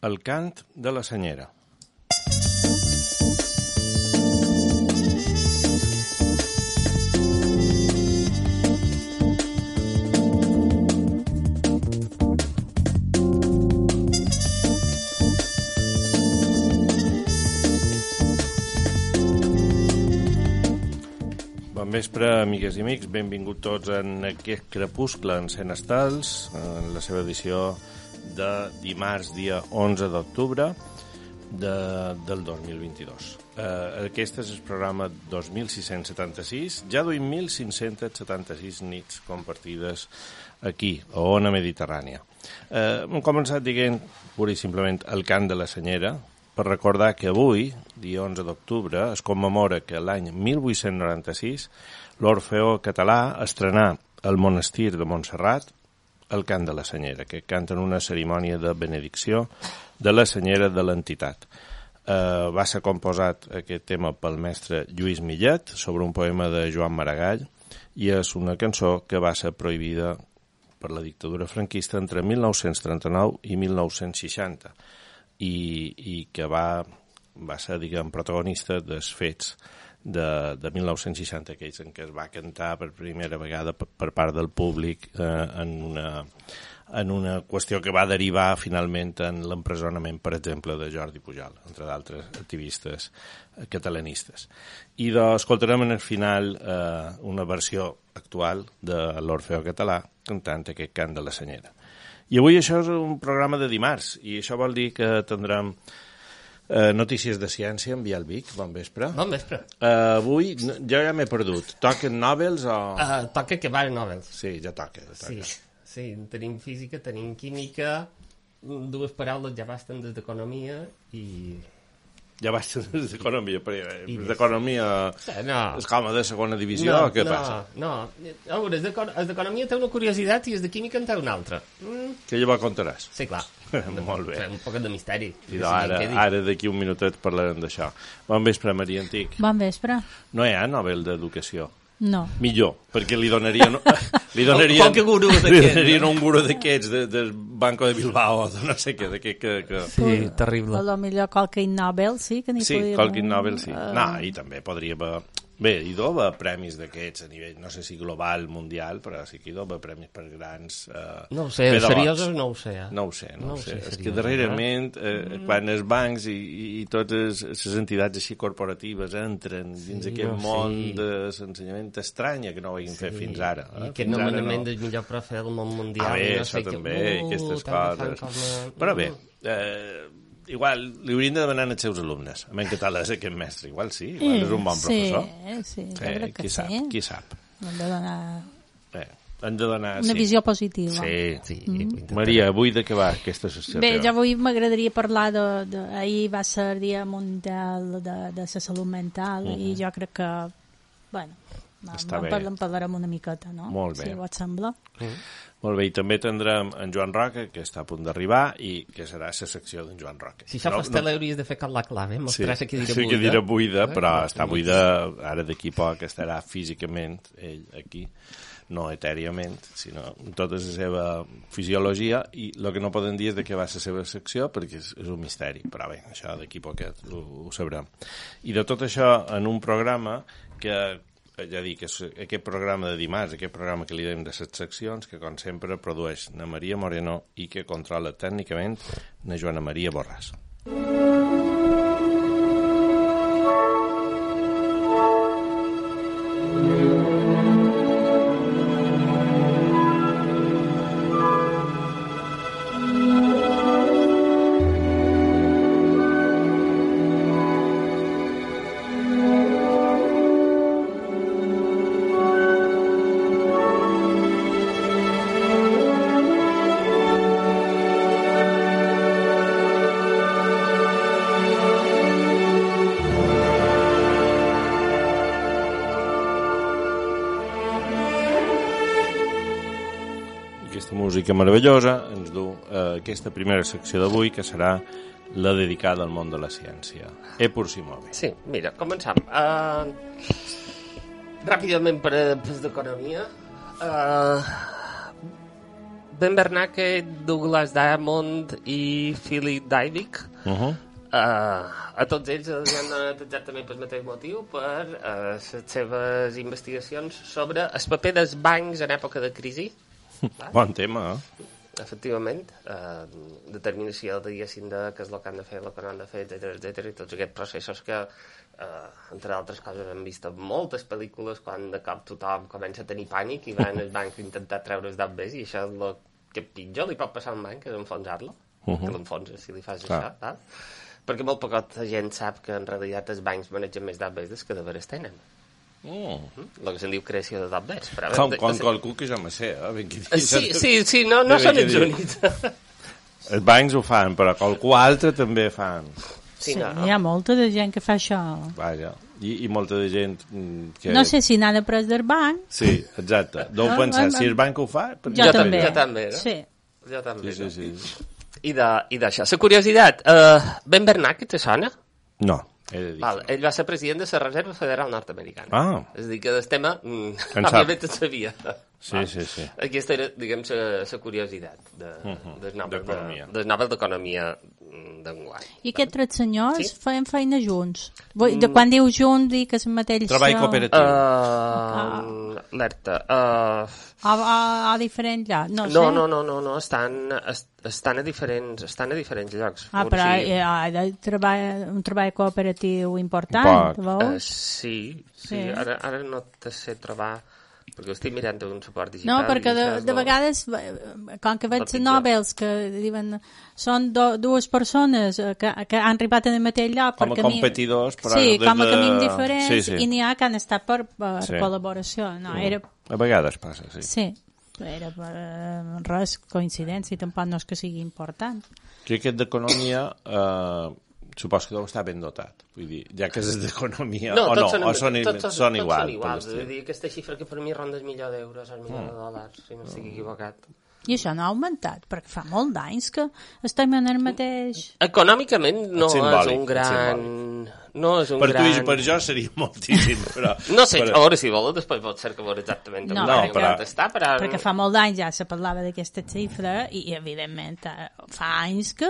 El cant de la senyera. Bon vespre, amigues i amics. Benvinguts tots en aquest crepuscle en Cent Estels, en la seva edició de dimarts, dia 11 d'octubre del 2022. Aquest és el programa 2676. Ja duim 1.576 nits compartides aquí, a Ona Mediterrània. Hem començat dient, pura i simplement, el cant de la senyera, per recordar que avui, dia 11 d'octubre, es commemora que l'any 1896 l'Orfeó Català estrenà al monestir de Montserrat el cant de la senyera, que canta en una cerimònia de benedicció de la senyera de l'entitat. Va ser composat aquest tema pel mestre Lluís Millet sobre un poema de Joan Maragall i és una cançó que va ser prohibida per la dictadura franquista entre 1939 i 1960 i que va ser, diguem, protagonista dels fets de 1960, aquells en què es va cantar per primera vegada per part del públic en una qüestió que va derivar finalment en l'empresonament, per exemple, de Jordi Pujol, entre d'altres activistes catalanistes. I escoltarem en el final una versió actual de l'Orfeó Català cantant aquest cant de la senyera. I avui això és un programa de dimarts, i això vol dir que tindrem notícies de ciència amb Biel Vic. Bon vespre. Bon vespre. Avui jo ja m'he perdut. Toquen Nobels o...? Toca que van Nobels. Sí, ja toca. Sí, tenim física, tenim química, dues paraules ja basten des d'economia i... Ja basten des d'economia, però d'economia és com de segona divisió o què passa? No, a veure, els d'economia té una curiositat i els de química en té una altra. Que llavors contaràs. Sí, clar. Molt bé. Un poc de misteri. I ara d'aquí un minutet parlarem d'això. Bon vespre, Maria Antic. Bon vespre. No hi ha Nobel d'Educació? No. Millor, perquè li donarien un guru d'aquests del Banco de Bilbao o de no sé què, que... Sí, terrible. A lo millor qualque Nobel, sí, que n'hi podria... Sí, qualque Nobel, sí. No, i també podria haver... Bé, hi deu haver premis d'aquests a nivell, no sé si global, mundial, però sí que hi deu haver premis per grans no ho sé, seriosos no ho sé. No ho sé. És que darrerament, quan els bancs i totes les entitats així corporatives entren dins aquest món de l'ensenyament estranya que no ho hagin fet fins ara. I aquest nomenament del millor profe del món mundial. Bé, això també, aquestes coses. Però bé, igual li haurien de demanar als seus alumnes en català és aquest mestre, igual sí, igual és un bon professor. Sí, crec que sí. Qui sap. Hem de donar una visió positiva. Sí. Maria, avui de què va aquesta sessió? Bé, jo avui m'agradaria parlar ahir va ser el Dia Mundial de la Salut Mental i jo crec que, bueno, en parlarem una miqueta, no? Molt bé. Si et sembla. Molt bé, i també tindrem en Joan Roca, que està a punt d'arribar, i que serà la secció d'en Joan Roca. Si això fos tele, hauries de fer com la clave, mostrar-se que dirà buida. Sí, que dirà buida, però està buida, ara d'aquí poc estarà físicament, ell aquí, no etèriament, sinó amb tota la seva fisiologia, i el que no poden dir és de què va ser la seva secció, perquè és un misteri, però bé, això d'aquí poquet ho sabrem. I de tot això en un programa que... ja dic, aquest programa de dimarts, aquest programa que li dèiem de les seccions, que com sempre produeix na Maria Moreno i que controla tècnicament na Joana Maria Borràs. Música meravellosa ens du aquesta primera secció d'avui, que serà la dedicada al món de la ciència. Pur si move. Sí, mira, començam. Ràpidament per d'economia. Ben Bernanke, Douglas Diamond i Philip Dybvig, a tots ells els han donat exactament pel mateix motiu, per les seves investigacions sobre el paper dels bancs en època de crisi. Bon tema, Efectivament, determinació, diguéssim, de què és el que han de fer, el que no han de fer, etc. I tots aquests processos que, entre altres coses, hem vist en moltes pel·lícules quan de cop tothom comença a tenir pànic i van al banc a intentar treure els deutes i això és el que pitjor li pot passar a un banc, és enfonsar-lo, que l'enfonses si li fas això, tal? Perquè molt poca gent sap que en realitat els bancs manegen més deutes que de veres tenen. El que se'n diu creació de deutes. Com qualcú que jo me sé, Sí, no són els únics. Els bancs ho fan, però qualcú altre també fan. Sí, hi ha molta de gent que fa això. Vaja, i molta de gent que... No sé si n'ha de pres del banc. Sí, exacte. Deu pensar, si el banc ho fa... Jo també. No? Sí. Jo també. Sí. I d'això. La curiositat, Ben Bernanke te sona? No, he de dir. Ell va ser president de la Reserva Federal Nord-Americana. És a dir, que del tema, òbviament en sabia. Sí. Aquesta era, diguem, la curiositat del Nobel d'Economia d'enguany. I aquests tres senyors feien feina junts? De quan diu junts, dic que és el mateix... Treball cooperatiu. Alerta. A diferents llocs? No, estan a diferents llocs. Però hi ha un treball cooperatiu important, veus? Sí. Ara no te sé trobar... Perquè ho estic mirant un suport digital. No, perquè de vegades, com que veig Nobels que diuen són dues persones que han arribat en el mateix lloc com a competidors, però com a camins diferents, i n'hi ha que han estat per col·laboració. A vegades passa, sí. Era res, coincidència, i tampoc no és que sigui important. Que aquest d'economia supos que deu estar ben dotat. Vull dir, ja que és d'economia són iguals. Vull dir, aquesta xifra que per mi ronda el $1.000.000 o el $1.000.000, si no estic equivocat. I això no ha augmentat, perquè fa molt d'anys que estem en el mateix... Econòmicament no és un gran... Per tu i per jo seria moltíssim, però... No sé, a veure si vols, després pot ser que veure exactament perquè fa molt d'anys ja se parlava d'aquesta xifra i evidentment fa anys que...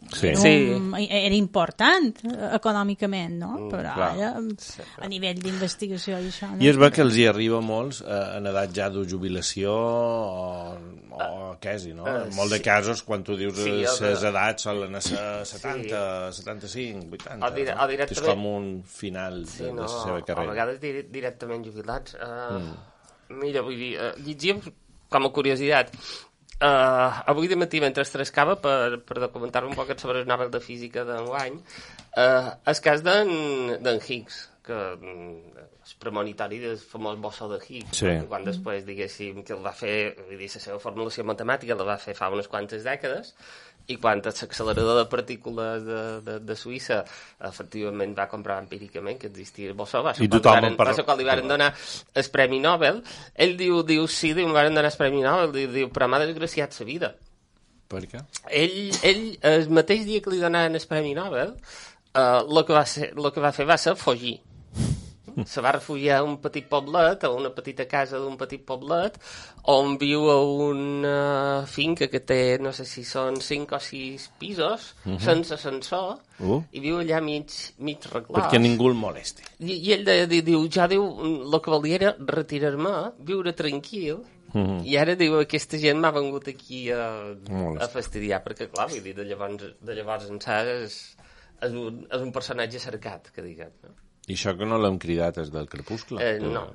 Era important econòmicament, no? Però ara, a nivell d'investigació i això... I és bé que els hi arriba molts en edat ja de jubilació o quasi, no? En molts de casos, quan tu dius les edats solen ser 70, 75, 80, és com un final de la seva carrera. A vegades directament jubilats. Mira, vull dir, llegia com a curiositat, avui de matí mentre trescava per documentar-me un poc sobre el Nobel de Física d'enguany, el cas d'en Higgs, que és premonitori del famós bossó de Higgs, quan després diguéssim que el va fer, vull dir, la seva formulació matemàtica la va fer fa unes quantes dècades, i quan l'accelerador de partícules de Suïssa efectivament va comprovar empíricament que existia el bossó, va ser quan li van donar el Premi Nobel. Ell diu, em van donar el Premi Nobel, diu, però m'ha desgraciat la vida. Per què? Ell, el mateix dia que li donaven el Premi Nobel, el que va fer va ser fugir. Se va refugiar a un petit poblet, a una petita casa d'un petit poblet, on viu a una finca que té, no sé si són 5 o 6 pisos, sense ascensor, i viu allà mig reclòs. Perquè ningú el molesti. I ell diu, el que volia era retirar-me, viure tranquil, i ara diu, aquesta gent m'ha vengut aquí a fastidiar, perquè clar, vull dir, de llavors ençà és un personatge cercat, que diguem, no? I això que no l'hem cridat és del Crepuscle? No,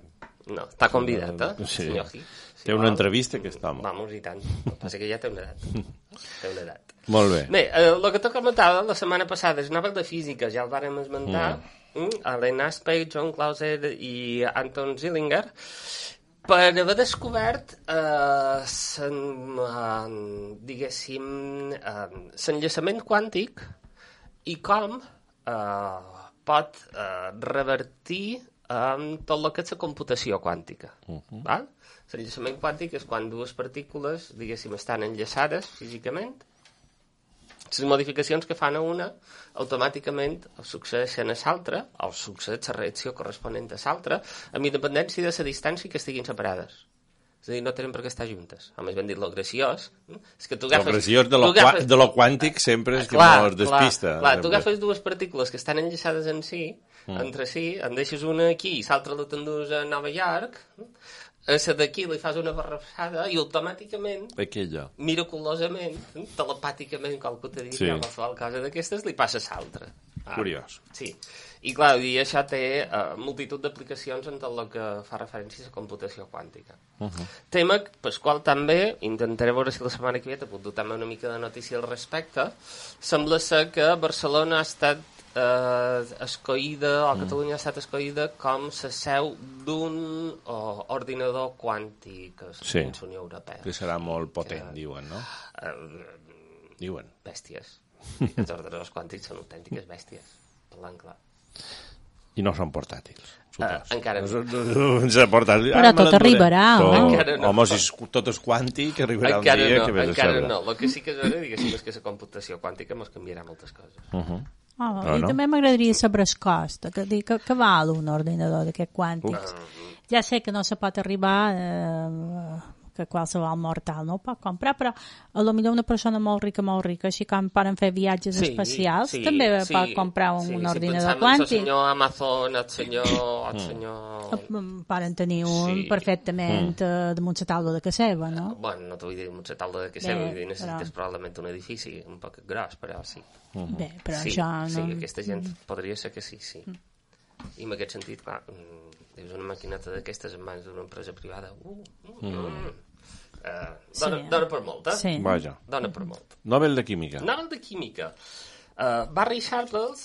està convidat, senyor Higgs. Té una entrevista, aquest home. Vamos, i tant. El que passa que ja té una edat. Molt bé. Bé, el que t'ho comentava la setmana passada, el Nobel de Física, ja el vàrem esmentar, Alain Aspect, John Clauser i Anton Zeilinger, per haver descobert diguéssim l'enllaçament quàntic i com pot revertir tot el que és la computació quàntica. L'enllaçament quàntic és quan dues partícules, diguéssim, estan enllaçades físicament. Les modificacions que fan a una automàticament succeeixen a l'altra, o succeeix la reacció corresponent a l'altra, amb independència de la distància que estiguin separades. És a dir, no tenen per què estar juntes. A més ben dit, lo graciós és que tu agafes... Lo graciós de lo quàntic sempre és que no es despista. Clar, tu agafes dues partícules que estan enllaçades entre si, en deixes una aquí i l'altra la t'endús a Nova York, a la d'aquí li fas una barrassada i automàticament, miraculosament, telepàticament, qualcú t'ha dit, qualsevol cosa d'aquestes, li passa a l'altra. Curiós. Sí. I clar, això té multitud d'aplicacions en tot el que fa referència a la computació quàntica. Tema pel qual també intentaré veure si la setmana que ve te puc dotar una mica de notícia al respecte. Sembla ser que Barcelona ha estat escollida, o Catalunya ha estat escollida com la seu d'un ordinador quàntic a la Unió Europea. Que serà molt potent, diuen, no? Diuen. Bèsties. Els ordinadors quàntics són autèntiques bèsties, parlant clar. I no són portàtils. Encara no. Però tot arribarà, home, si tot és quàntic, arribarà un dia que ves a saber. Encara no. El que sí que és vera, diguéssim, és que la computació quàntica ens canviarà moltes coses. I també m'agradaria saber el cost, que val un ordinador d'aquest quàntic. Ja sé que no se pot arribar... que qualsevol mortal no ho pot comprar, però potser una persona molt rica, així com poden fer viatges espacials, també pot comprar un ordinador quàntic. El senyor Amazon, el senyor... Poden tenir un perfectament damunt la taula de casa seva, no? Bueno, no t'ho vull dir damunt la taula de casa seva, vull dir, necessites probablement un edifici un poc gros, però sí. Bé, però això no... Sí, aquesta gent podria ser que sí. I en aquest sentit, clar, dius una maquineta d'aquestes en mans d'una empresa privada, dona per molt, Sí. Vaja. Dona per molt. Nobel de Química. Barry Sharples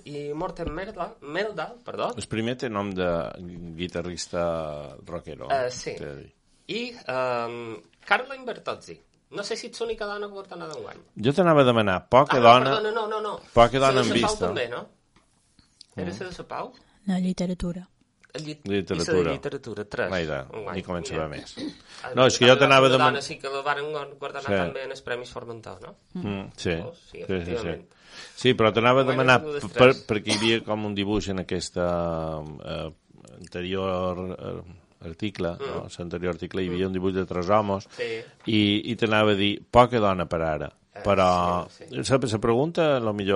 i Morten Meldal, perdó. El primer té nom de guitarrista rockero. Sí. I Caroline Bertozzi. No sé si ets l'única dona que porta anada d'enguany. Jo t'anava a demanar poca dona... No. Poca dona en vista. També, no? Era la de la Pau? No, literatura. Literatura 3. Vaja, ni començava més. No, és que jo t'anava a demanar... Sí que la van guardar també en els Premis Formentor, no? Sí, efectivament. Sí, però t'anava a demanar perquè hi havia com un dibuix en aquesta anterior article, l'anterior article hi havia un dibuix de 3 homes i t'anava a dir poca dona per ara, però la pregunta, potser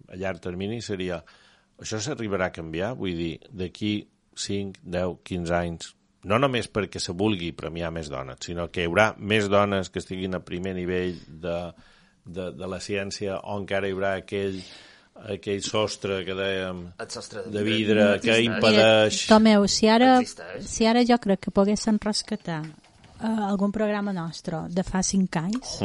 a llarg termini seria això s'arribarà a canviar? Vull dir, d'aquí 5, 10, 15 anys, no només perquè se vulgui premiar més dones, sinó que hi haurà més dones que estiguin a primer nivell de la ciència, on encara hi haurà aquell sostre que dèiem de vidre que impedeix... Tomeu, si ara jo crec que poguessin rescatar algun programa nostre de fa 5 anys,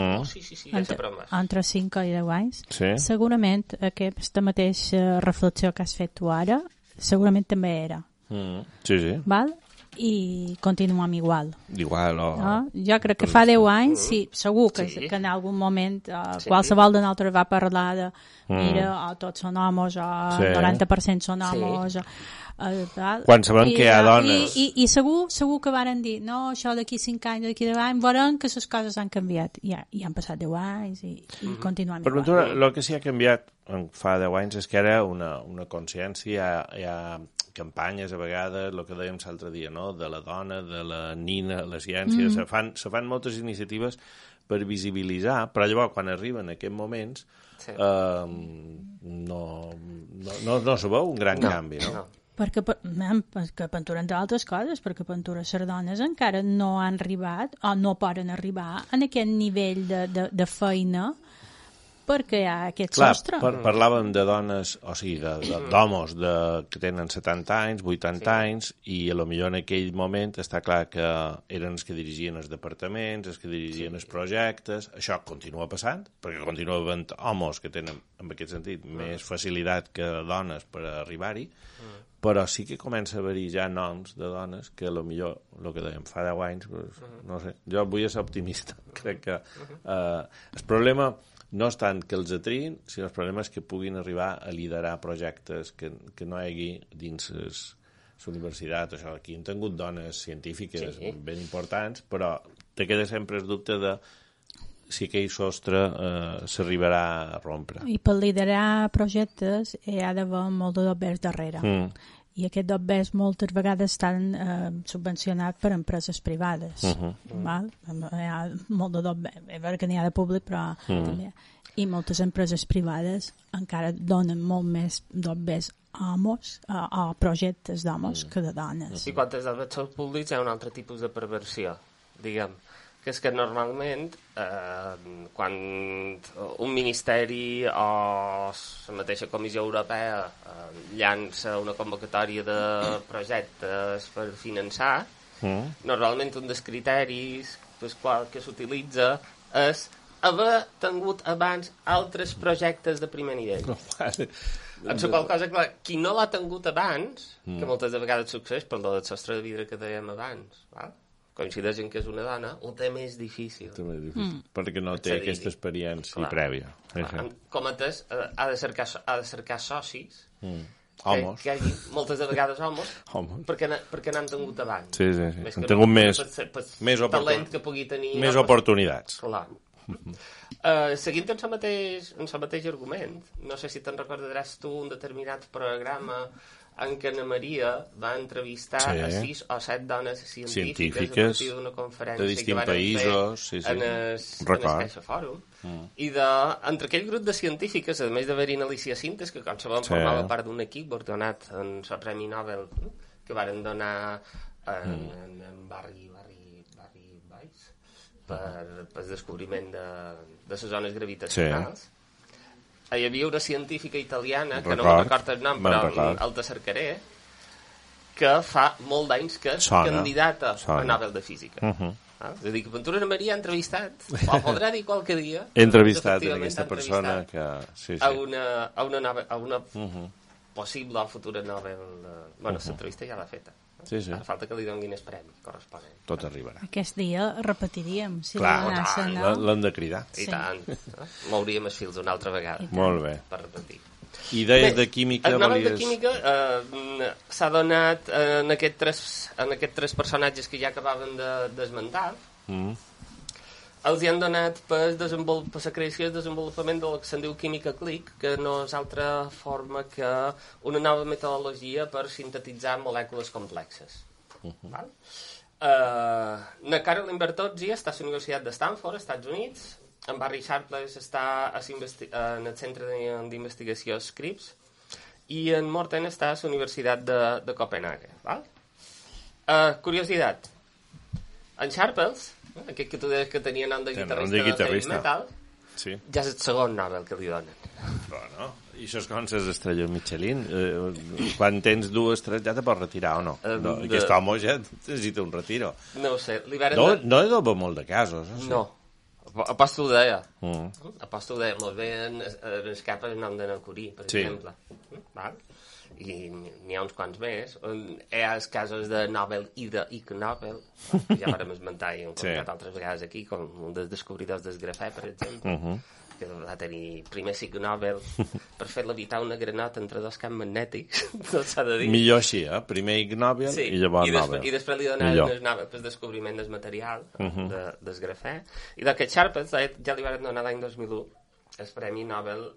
entre 5 i 10 anys, segurament aquesta mateixa reflexió que has fet tu ara, segurament també era. Sí. Val? I continuem igual. No? Jo crec que fa 10 anys, segur que en algun moment qualsevol de nosaltres va parlar de mira, tots són homes, o 90% són homes, quan sabem que hi ha dones i segur que varen dir no, això d'aquí 5 anys, d'aquí 10 anys veurem que les coses han canviat i han passat 10 anys i continuem igual. Per ventura, el que s'hi ha canviat fa 10 anys és que era una consciència, hi ha campanyes a vegades, el que dèiem l'altre dia, no? De la dona, de la nina, la ciència, se fan moltes iniciatives per visibilitzar, però llavors quan arriben aquests moments no se veu un gran canvi, no? Perquè Pentura, entre altres coses, perquè Pentura les dones encara no han arribat o no poden arribar en aquest nivell de feina perquè hi ha aquest sostre. Parlàvem de dones, o sigui, d'homes que tenen 70 anys, 80 anys, i potser en aquell moment està clar que eren els que dirigien els departaments, els que dirigien els projectes. Això continua passant, perquè continua havent homes que tenen, en aquest sentit, més facilitat que dones per arribar-hi, però sí que comença a haver-hi ja noms de dones que potser, el que dèiem, fa 10 anys, no sé, jo vull ser optimista. Crec que el problema no és tant que els atriïn, sinó el problema és que puguin arribar a liderar projectes que no hi hagi dins la universitat. Això, aquí hem tingut dones científiques ben importants, però te queda sempre el dubte de si aquell sostre s'arribarà a rompre. I per liderar projectes hi ha d'haver molt de dobbers darrere. i aquest dobbers moltes vegades estan subvencionats per empreses privades. Val? Hi ha molt de dobbers, és veritat que n'hi ha de públic, però també. I moltes empreses privades encara donen molt més dobbers a homes, a projectes d'homes que de dones. I quan els dobbers són públics hi ha un altre tipus de perversió, diguem, que és que normalment quan un ministeri o la mateixa Comissió Europea llança una convocatòria de projectes per finançar, normalment un dels criteris que s'utilitza és haver tingut abans altres projectes de primer nivell. En la qual cosa, clar, qui no l'ha tingut abans, que moltes de vegades succeeix per lo del sostre de vidre que dèiem abans, val? Coincideix en que és una dona, ho té més difícil. Perquè no té aquesta experiència prèvia. Com a tès, ha de cercar socis, homes. que hi hagi moltes de vegades homes, perquè n'han tingut abans. Sí. Han tingut més talent que pugui tenir... Més oportunitats. Clar. Seguint en el mateix argument, no sé si te'n recordaràs tu un determinat programa en què Ana Maria va entrevistar a 6 o 7 dones científiques a partir d'una conferència de distints països en el Caixa Fòrum. I entre aquell grup de científiques, a més d'haver-hi Alicia Sintes, que com sabem formava part d'un equip ordenat en el Premi Nobel que varen donar en Barry Weiss per el descobriment de les zones gravitacionals. Hi havia una científica italiana, que no me'n recordo el nom, però el te cercaré, que fa molt d'anys que és candidata a Nobel de Física. És a dir, que Ventura Ana Maria ha entrevistat, o podrà dir qualque dia... He entrevistat aquesta persona que... a una possible o futura Nobel... Bueno, l'entrevista ja l'ha feta. Ara falta que li donin el premi corresponent. Tot arribarà. Aquest dia repetiríem. Clar, l'hem de cridar. I tant. Mouríem els fils una altra vegada. Molt bé. Per repetir. I deies de química... El Nobel de química s'ha donat en aquests tres personatges que ja acabaven d'esmentar. Els hi han donat per la creació i el desenvolupament del que se'n diu química click, que no és altra forma que una nova metodologia per sintetitzar molècules complexes. Na Carolyn Bertozzi està a la Universitat de Stanford, als Estats Units. En Barry Sharpless està en el Centre d'Investigació Scripps. I en Morten està a la Universitat de Copenhague. Curiositat. En Sharpless, aquest que tu deies que tenia nom de guitarrista de heavy metal, ja és el segon Nobel que li donen. Bueno, i això és com les estrelles Michelin. Quan tens 2 estrelles ja te pots retirar o no? Aquest home ja necessita un retiro. No ho sé. No he d'obrir molt de casos. No. Aposto ho deia. Aposto ho deia. Molt bé en escap el nom de Curie, per exemple. I n'hi ha uns quants més. Hi ha els casos de Nobel i d'Ig Nobel, que ja vàrem esmentar i hem comentat altres vegades aquí, com un dels descobridors del grafè, per exemple, que va tenir primer Ig Nobel per fer levitar una granota entre 2 camps magnètics, tot s'ha de dir. Millor així, primer Ig Nobel i llavors Nobel. I després li donaven el Nobel pel descobriment del material, del grafè. I d'aquest Sharpless ja li van donar l'any 2001 el Premi Nobel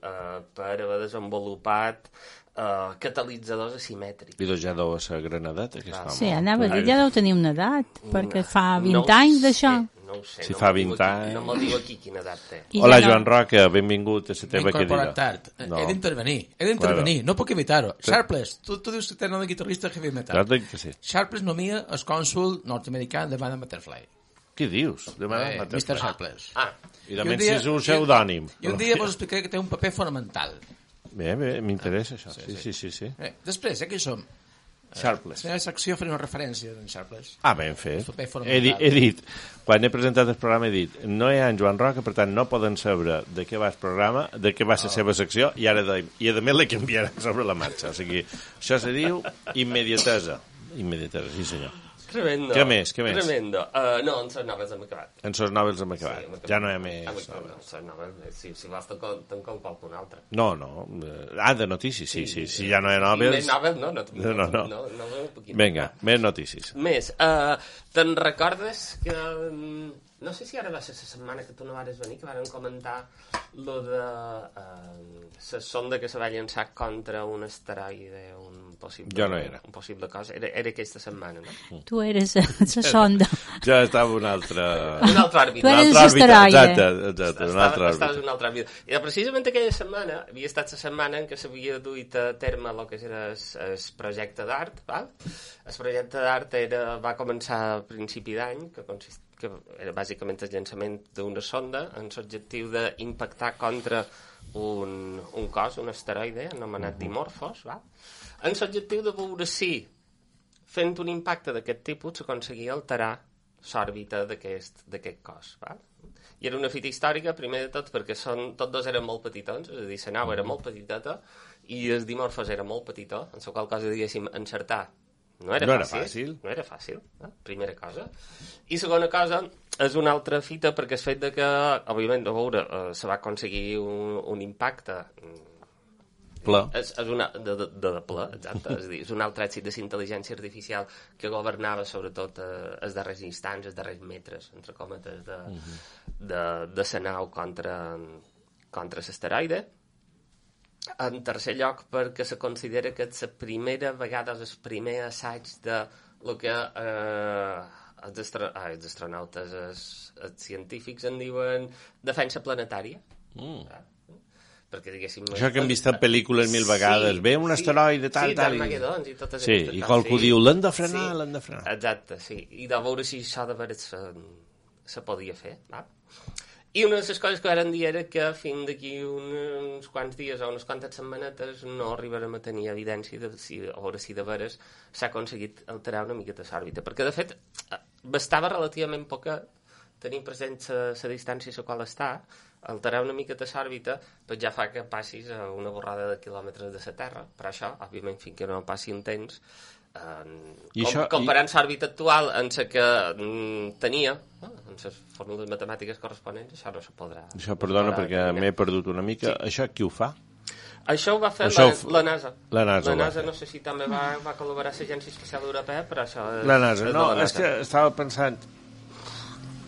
per haver desenvolupat catalitzadors asimètrics. I doncs ja deu ser granadeta, aquest home. Sí, anava a dir, ja deu tenir una edat, perquè fa 20 anys d'això. No ho sé. Si fa 20 anys... No me'l diu aquí quina edat té. Hola, Joan Roca, benvingut a la teva querida. M'he incorporat tard. He d'intervenir, no puc evitar-ho. Sharpless, tu dius que té nom de guitarrista heavy metal. Clar que sí. Sharpless nomia el cònsul nord-americà de Madame Butterfly. Què dius? Mr. Sharpless. I també si és un pseudònim. I un dia vos explicaré que té un paper fonamental. Bé, m'interessa això. Sí. Després, aquí som. Sharpless. La secció faré una referència d'en Sharpless. Ben fet. He dit, quan he presentat el programa he dit, no hi ha en Joan Roca, per tant no poden saber de què va el programa, de què va la seva secció, i a més la canviaran sobre la marxa. O sigui, això se diu immediatesa. Immediatesa, sí senyor. Tremendo. Què més? Tremendo. No, en Sos Nobels hem acabat. En Sos Nobels hem acabat. Ja no hi ha més. Sos Nobels, si vols te'n com qualcun altre. No. De notícies, sí. Si ja no hi ha Nobels... Més Nobels, no. Vinga, més notícies. Més. Te'n recordes que no sé si ara va ser la setmana que tu no vares venir, que varen comentar lo de la sonda que se va llançar contra un asteroide, un possible cosa. Era aquesta setmana, no? Tu eres la sonda. Ja estava un altre òrbit. Tu eres l'asteroide. Exacte, un altre òrbit. Estaves un altre òrbit. I precisament aquella setmana havia estat la setmana en què s'havia duit a terme el que era el projecte d'art, val? El projecte d'art va començar a principi d'any, que era bàsicament el llançament d'una sonda amb l'objectiu d'impactar contra un cos, un asteroide anomenat Dimorphos, va? Amb l'objectiu de veure si fent un impacte d'aquest tipus s'aconseguia alterar l'òrbita d'aquest cos. Va? I era una fita històrica, primer de tot, perquè tots dos eren molt petitons, és a dir, la nau era molt petitota i el Dimorphos era molt petitó, en la qual cosa, diguéssim, encertar no era fàcil. Primera cosa. I segona cosa, és una altra fita perquè el fet de que, òbviament, a veure, se va aconseguir un impacte pla. És una de pla, exacte. És a dir, és un altre èxit de la intel·ligència artificial que governava sobretot els darrers instants, els darrers metres, entre cometes, de la nau contra l'asteroide. En tercer lloc, perquè se considera que és la primera vegada, el primer assaig de el que els astronautes, els científics en diuen defensa planetària. Perquè, diguéssim... Això que hem vist en pel·lícules 1000 vegades. Ve un asteroide, tal... Sí, d'Armagedons i totes aquestes. Sí, i qualcú diu, l'hem de frenar. Exacte, sí. I de veure si això de veres se podia fer, va? I una de les coses que varen dir era que fins d'aquí uns quants dies o unes quantes setmanetes no arribarem a tenir evidència de a veure si de veres s'ha aconseguit alterar una miqueta l'òrbita. Perquè, de fet, bastava relativament poca tenir present la distància a la qual està, alterar una miqueta l'òrbita, doncs ja fa que passis a una borrada de quilòmetres de la Terra. Per això, òbviament, fins que no passi un temps, comparant l'òrbita actual amb la que tenia, amb les fórmules matemàtiques corresponents, això no se podrà... Això, perdona, perquè m'he perdut una mica. Sí. Això qui ho fa? Això ho va fer la NASA. La NASA no sé si també va col·laborar a l'Agència Espacial Europea, però això és... La NASA, no, és que estava pensant,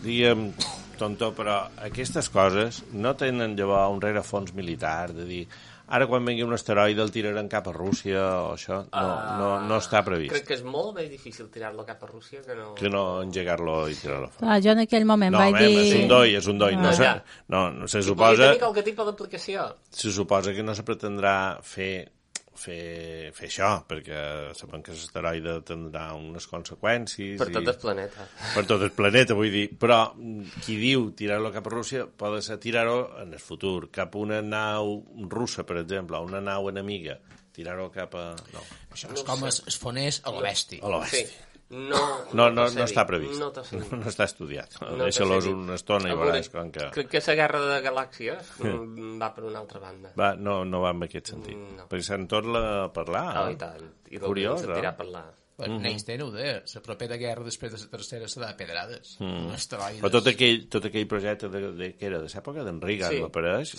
diguem, tonto, però aquestes coses no tenen llavors un rerefons militar, de dir... Ara, quan vengui un asteroide, el tiraran cap a Rússia o això, no està previst. Crec que és molt més difícil tirar-lo cap a Rússia que no engegar-lo i tirar-lo fora. Clar, jo en aquell moment vaig dir... És un doi. No se suposa... Podria tenir qualque tipus d'aplicació. Se suposa que no se pretendrà fer això, perquè sabem que l'asteroide tindrà unes conseqüències... Per tot el planeta. Per tot el planeta, vull dir. Però qui diu tirar-lo cap a Rússia pot ser tirar-ho en el futur, cap a una nau russa, per exemple, o una nau enemiga. Tirar-ho cap a... No. Això és com es fonés a l'Oesti. A l'Oesti. Sí. No està previst. No està estudiat. Deixa-los una estona i veuràs com que... Crec que la guerra de galàxies va per una altra banda. No va en aquest sentit. Perquè se'n torna a parlar. I tant. I curiós, tirar a parlar. Einstein ho deia, la propera guerra després de la tercera serà de pedrades. Però tot aquell projecte que era de l'època d'en Reagan, m'apareix,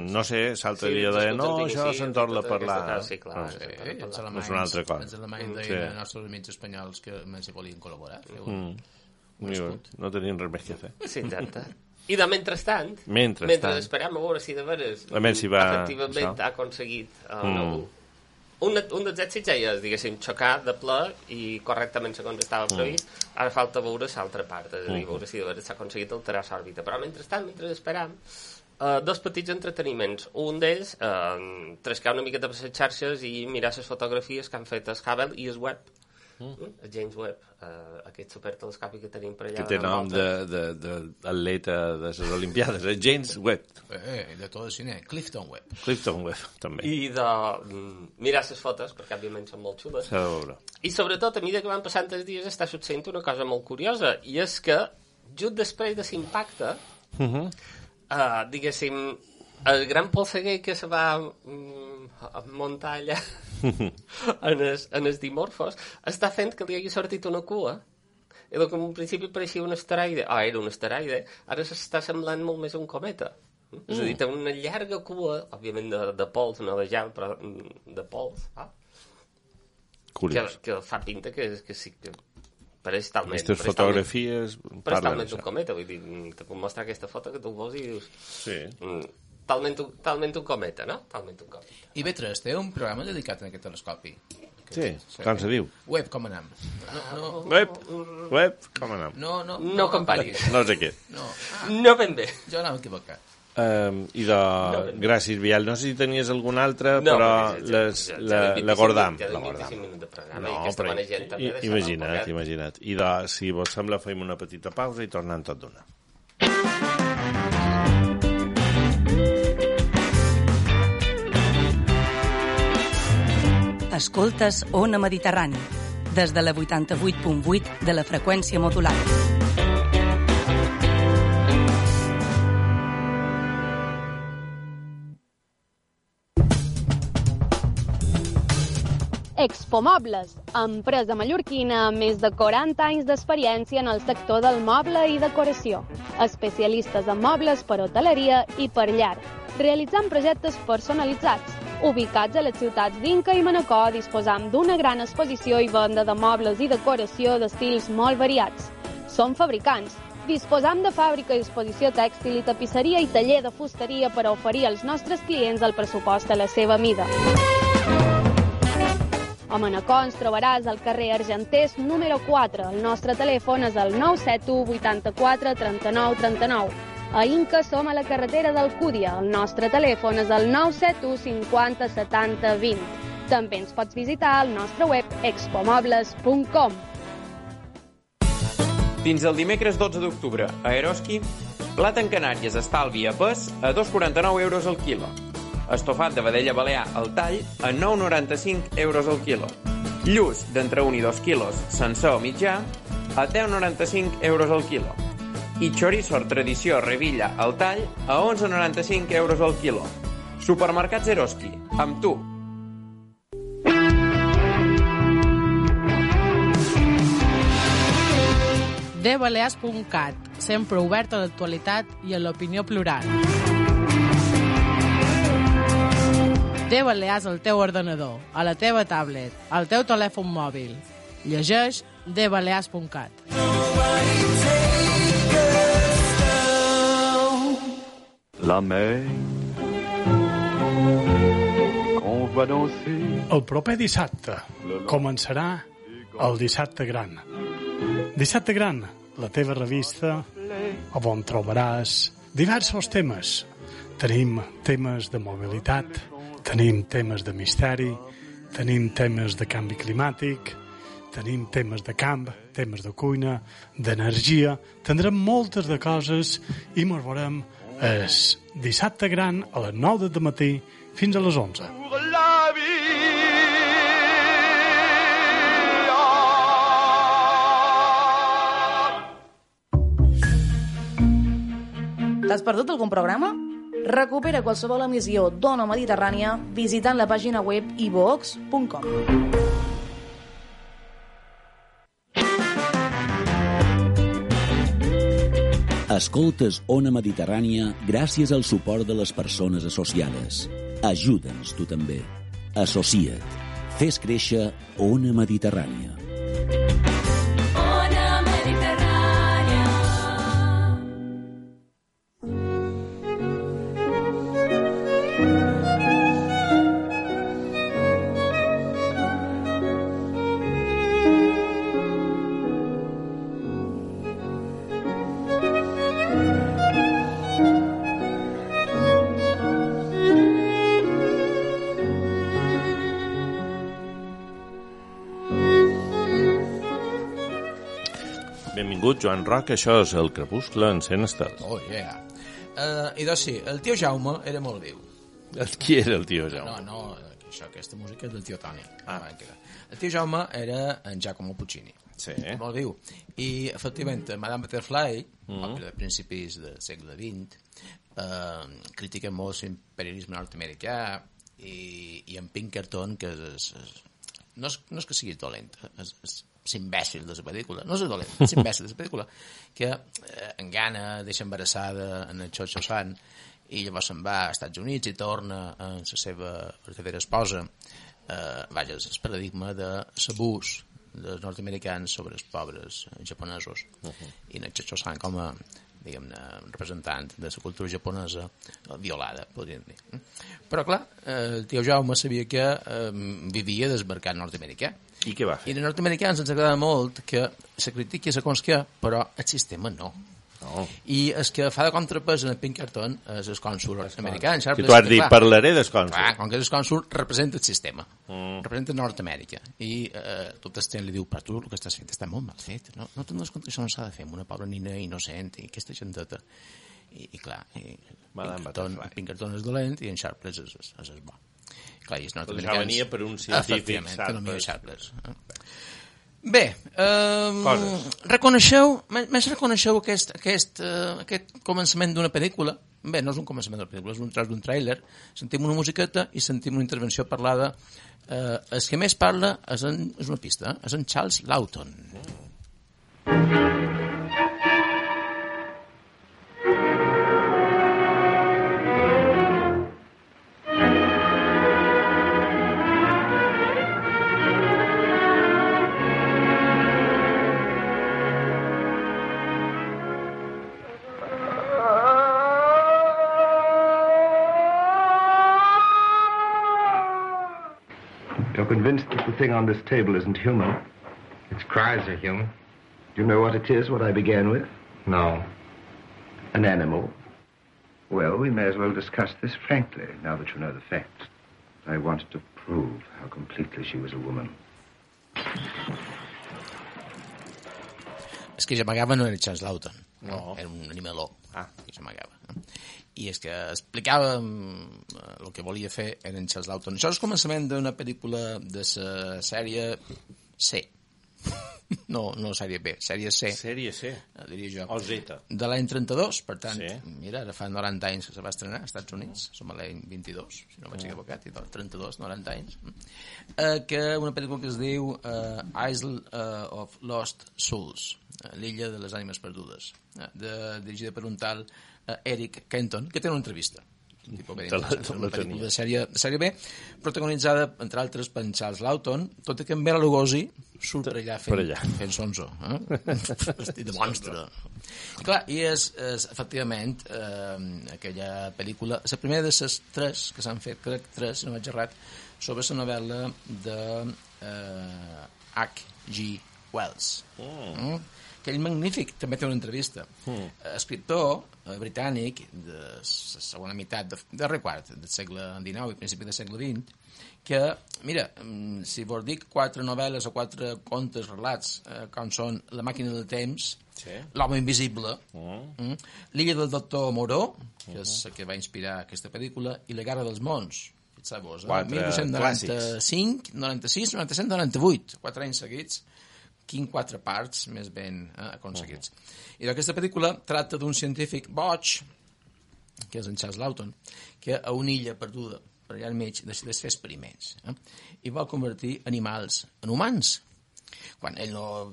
no sé, l'altre dia deia, no, això se'n torna a parlar. Sí, clar. És una altra cosa. Els alemanys deien als nostres amics espanyols que més hi volien col·laborar. No tenien res més que fer. Sí, exacte. I de mentrestant, mentre esperem a veure si de veres efectivament ha aconseguit un dels èxits ja és, diguéssim, xocar de ple i correctament segons estava previst. Ara falta veure l'altra part, és a dir, veure si de veres s'ha aconseguit alterar l'òrbita. Però mentrestant, mentre esperam, dos petits entreteniments. Un d'ells, trescar una miqueta per les xarxes i mirar les fotografies que han fet el Hubble i el Webb. El James Webb, aquest supertelescopi que tenim per allà. Que té nom d'atleta de les Olimpiades, el James Webb. De tot el cine, Clifton Webb. Clifton Webb, també. I de mirar les fotos, perquè òbviament són molt xules. S'ha de veure. I sobretot, a mesura que van passant els dies, està succeint una cosa molt curiosa, i és que, just després de l'impacte, diguéssim, el gran polseguer que se va muntar allà en els Dimorphos està fent que li hagi sortit una cua, i que en un principi pareixia un asteroide, era un asteroide, ara s'està semblant molt més un cometa. És a dir, té una llarga cua, òbviament de pols, no de gel, però de pols, curiós. Que fa pinta que sí que Però és talment... Aquestes fotografies... Però és talment un cometa, vull dir, te puc mostrar aquesta foto que tu veus i dius... Sí. Talment un cometa, no? Talment un cometa. I Betres, té un programa dedicat a aquest telescopi. Sí, com se diu? Web, com anem? Web, com anem? No comparis. No sé què. No ben bé. Jo anava equivocat. I gràcies, Biel. No sé si tenies alguna altra, però l'agordam. No, però imagina't. I si vos sembla, fem una petita pausa i tornem tot d'una. Escoltes Ona Mediterrani, des de la 88.8 de la freqüència modulada. Expomobles, empresa mallorquina amb més de 40 anys d'experiència en el sector del moble i decoració. Especialistes en mobles per hoteleria i per llar, realitzant projectes personalitzats. Ubicats a les ciutats d'Inca i Manacor, disposam d'una gran exposició i venda de mobles i decoració d'estils molt variats. Som fabricants. Disposam de fàbrica i exposició tèxtil i tapisseria i taller de fusteria per a oferir als nostres clients el pressupost a la seva mida. A Manacor ens trobaràs al carrer Argenters número 4. El nostre telèfon és el 971 84 39 39. A Inca som a la carretera d'Alcúdia. El nostre telèfon és el 971 50 70 20. També ens pots visitar al nostre web expomobles.com. Fins el dimecres 12 d'octubre, a Eroski, blat en Canàries estalvi a pes a 2,49 euros al quilo. Estofat de vedella balear al tall a 9,95 euros al quilo. Lluç d'entre 1 i 2 quilos, sencer o mitjà, a 10,95 euros al quilo. I chorizo tradició Revilla al tall a 11,95 euros al quilo. Supermercats Eroski, amb tu. dbalears.cat, sempre obert a l'actualitat i a l'opinió plural. D-Balears al teu ordenador, a la teva tablet, al teu telèfon mòbil. Llegeix dbalears.cat. La mer qu'on va danser. El proper dissabte començarà el Dissabte Gran. Dissabte Gran, la teva revista, on trobaràs diversos temes. Tenim temes de mobilitat, tenim temes de misteri, tenim temes de canvi climàtic, tenim temes de camp, temes de cuina, d'energia. Tindrem moltes de coses i ens veurem el Dissabte Gran a les 9 del matí fins a les 11. T'has perdut algun programa? Recupera qualsevol emissió d'Ona Mediterrània visitant la pàgina web iVox.com. Escoltes Ona Mediterrània gràcies al suport de les persones associades. Ajuda'ns tu també. Associa't. Fes créixer Ona Mediterrània. Ona Mediterrània. Benvingut, Joan Roc, això és El Crepuscle en Cent Estels. Oh, yeah. I doncs sí, el tio Jaume era molt viu. Qui era el tio Jaume? No, aquesta música és del tio Toni. El tio Jaume era en Giacomo Puccini. Sí. Molt viu. I, efectivament, Madame Butterfly, òpera de principis del segle XX, critica molt l'imperialisme nord-americà i en Pinkerton, que no és que sigui dolent, és imbècil de la pel·lícula, no és dolent, és imbècil de la pel·lícula, que engana, deixa embarassada en el Xocho Sant i llavors se'n va als Estats Units i torna amb la seva verdadera esposa. Vaja, és el paradigma de l'abús dels nord-americans sobre els pobres japonesos. I Nacho San com a, diguem-ne, representant de la cultura japonesa violada, podríem dir. Però, clar, el tio Jaume sabia que vivia del mercat nord-americà. I què va fer? I els nord-americans ens agrada molt que se critiqui segons què, però el sistema no. I el que fa de contrapès en el Pinkerton és el cònsul americà. Que tu has dit, parlaré del cònsul. Clar, com que el cònsul representa el sistema, representa Nord-Amèrica. I tot el temps li diu, però tu el que estàs fent està molt mal fet. No te'n dones compte que això no s'ha de fer amb una pobra nina innocent i aquesta genteta. I clar, Pinkerton és dolent i en Sharpless és bo. Clar, i els nord-americans... Ja venia per un científic, Sharpless. Bé, reconeixeu aquest començament d'una pel·lícula? Bé, no és un començament d'una pel·lícula, és un tros d'un tràiler. Sentim una musiqueta i sentim una intervenció parlada. El que més parla és una pista, és en Charles Laughton. Convinced that the thing on this table isn't human. Its cries are human. Do you know what it is, what I began with? No. An animal. Well, we may as well discuss this frankly, now that you know the facts. I wanted to prove how completely she was a woman. És que s'amagava no era Charles Laughton. No. Era un animaló. Que s'amagava. I és que explicava el que volia fer en Charles Laughton. Això és el començament d'una pel·lícula de la sèrie C. No sèrie B, sèrie C. Sèrie C? Diria jo. O Z. De l'any 32, per tant, mira, ara fa 90 anys que se va estrenar als Estats Units, som a l'any 22, si no vaig equivocat, i 32, 90 anys, que una pel·lícula que es diu Isle of Lost Souls, l'illa de les ànimes perdudes, dirigida per un tal Eric Kenton, que té una entrevista. Una pel·lícula de sèrie B, protagonitzada, entre altres, per Charles Laughton, tot i que en Bela Lugosi surt per allà fent sonso, vestit de monstre. I clar, i és efectivament aquella pel·lícula, la primera de les tres que s'han fet, crec tres, si no vaig errat, sobre la novel·la de H.G. Wells. Aquell magnífic, també té una entrevista. Escriptor britànic de la segona meitat del quart del segle XIX i principi del segle XX, que, mira, si vos dic 4 novel·les o 4 contes, relats, com són La màquina del temps, L'home invisible, L'illa del doctor Moreau, que és el que va inspirar aquesta pel·lícula, i La guerra dels mons, fixeu-vos, 1995, 96, 97, 98, 4 anys seguits, 4 parts més ben aconseguits. I aquesta pel·lícula tracta d'un científic boig, que és en Charles Laughton, que a una illa perduda per allà al mig decideix fer experiments i vol convertir animals en humans, quan ell no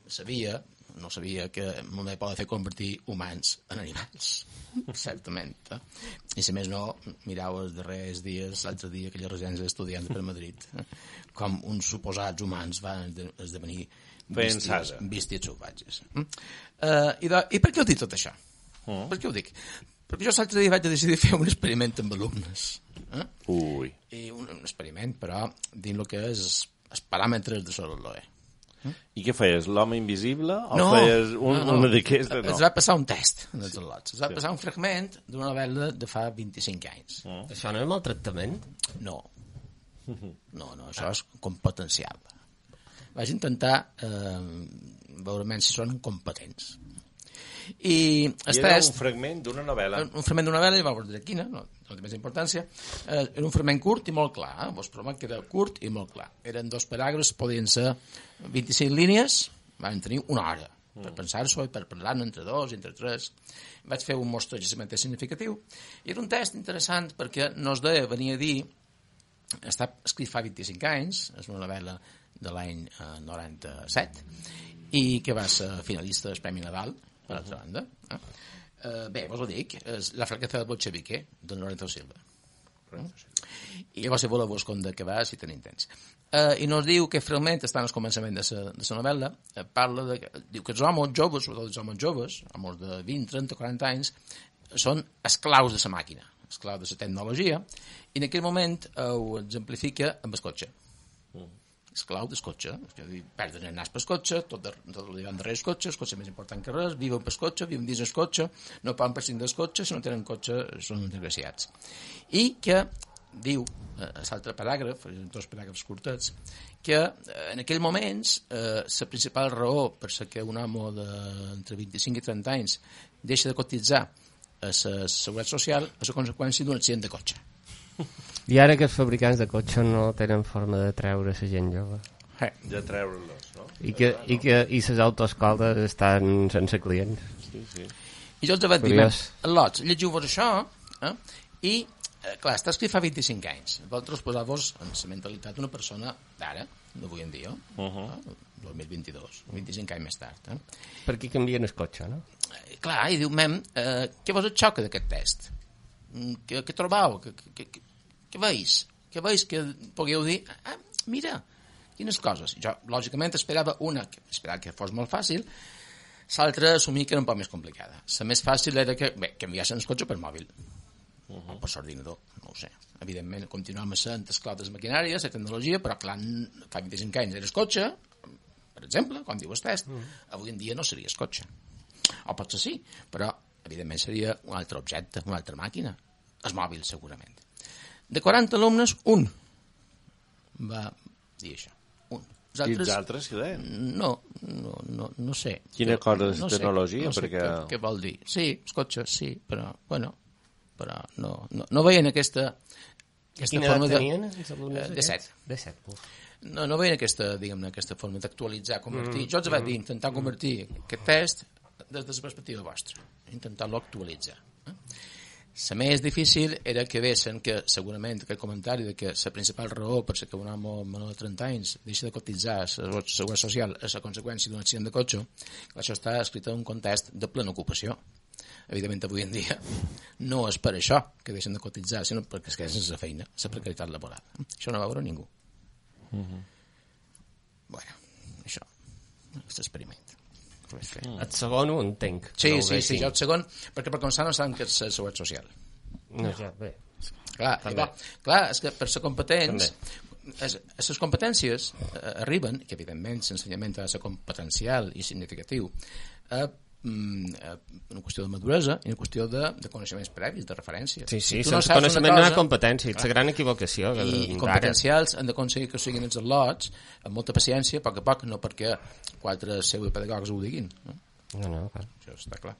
sabia que només pot fer convertir humans en animals, certament. I si més no, mireu els darrers dies, l'altre dia, aquella residència d'estudiants per Madrid, com uns suposats humans van esdevenir bèsties salvatges. I per què ho dic tot això? Per què ho dic? Perquè jo l'altre dia vaig decidir fer un experiment amb alumnes. I un experiment, però, dins el que és els paràmetres de Sololoe. I què feies? L'home invisible? O feies una d'aquestes? No. Es va passar un test en els lots. Es va passar un fragment d'una novel·la de fa 25 anys. Això no és maltractament? No, això és competencial. Vaig intentar veure si són competents. I era un fragment d'una novel·la. Un fragment d'una novel·la, i va veure quina, no té més importància. Era un fragment curt i molt clar. Vos promet que era curt i molt clar. Eren 2 paràgrafs, podien ser 25 línies, van tenir una hora per pensar-s'ho i per parlar-ne entre 2 i entre 3. Vaig fer un mostreig significatiu. I era un test interessant perquè venia a dir, està escrit fa 25 anys, és una novel·la de l'any 97, i que va ser finalista del Premi Nadal, per altra banda. Bé, vos ho dic, és La flaqueza del bolchevique, de Lorenzo Silva. I llavors, si voleu, vos conta que va, si tenim temps. I nos diu que realment està al començament de la novel·la, parla de... Diu que els homes joves, sobretot els homes joves, homes de 20, 30, 40 anys, són esclaus de la màquina, esclaus de la tecnologia, i en aquell moment ho exemplifica amb el cotxe. Esclau del cotxe, perden el nas pel cotxe, tot el dia darrere el cotxe més important que res, viuen pel cotxe, viuen dins el cotxe, no poden prescindir del cotxe, si no tenen cotxe són desgraciats. I que diu, a l'altre paràgraf, dos paràgrafs curtets, que en aquells moments la principal raó per la que un home d'entre 25 i 30 anys deixa de cotitzar a la seguretat social és a conseqüència d'un accident de cotxe. I ara que els fabricants de cotxes no tenen forma de treure la gent jove. De treure-los, no? I les autoescoles estan sense clients. Sí. I jo els vaig dir, lots, llegiu-vos això, i clar, està escrit fa 25 anys. Vosaltres posar-vos en la mentalitat d'una persona d'ara, d'avui en dia, 2022, 25 anys més tard. Per què canvien el cotxe, no? Clar, i diu, què vos et xoca d'aquest test? Què trobau? Què veus? Què veus que podíeu dir? Mira, quines coses. Jo, lògicament, esperava que fos molt fàcil, l'altra assumir que era un poc més complicada. La més fàcil era que canviassin el cotxe per mòbil. O per l'ordinador, no ho sé. Evidentment, continuem sent esclau de les maquinàries, la tecnologia, però clar, fa 25 anys era el cotxe, per exemple, quan diu el test, avui en dia no seria el cotxe. O potser sí, però evidentment seria un altre objecte, una altra màquina. El mòbil, segurament. De 40 alumnes, un va dir això. Un. I els altres què deien? No sé. Quina cosa de tecnologia? No sé què vol dir. Sí, els cotxes, sí, però, bueno, però no veien aquesta forma de... Quina edat tenien? De 7. De 7, no veien aquesta forma d'actualitzar, convertir. Jo els vaig dir, intentar convertir aquest test des de la perspectiva vostra, intentar-lo actualitzar. La més difícil era que vessin que segurament aquest comentari de que la principal raó per la que un home menor de 30 anys deixa de cotitzar a la seguretat social és a conseqüència d'un accident de cotxe, això està escrit en un context de plena ocupació. Evidentment, avui en dia no és per això que deixen de cotitzar, sinó perquè es queden sense feina, la precarietat laboral. Això no va veure ningú. Bueno, això és l'experiment. El segon ho entenc. Sí, jo el segon, perquè per començar no saben que és la seguretat social. No, ja, bé. Clar, és que per ser competents, les competències arriben, que evidentment l'ensenyament ha de ser competencial i significatiu, una qüestió de maduresa i una qüestió de coneixements previs, de referència. Sí, sense coneixement no hi ha competència, és la gran equivocació. I competencials han d'aconseguir que siguin els al·lots amb molta paciència, a poc a poc, no perquè 4 pseudopedagogs ho diguin. No, clar. Això està clar.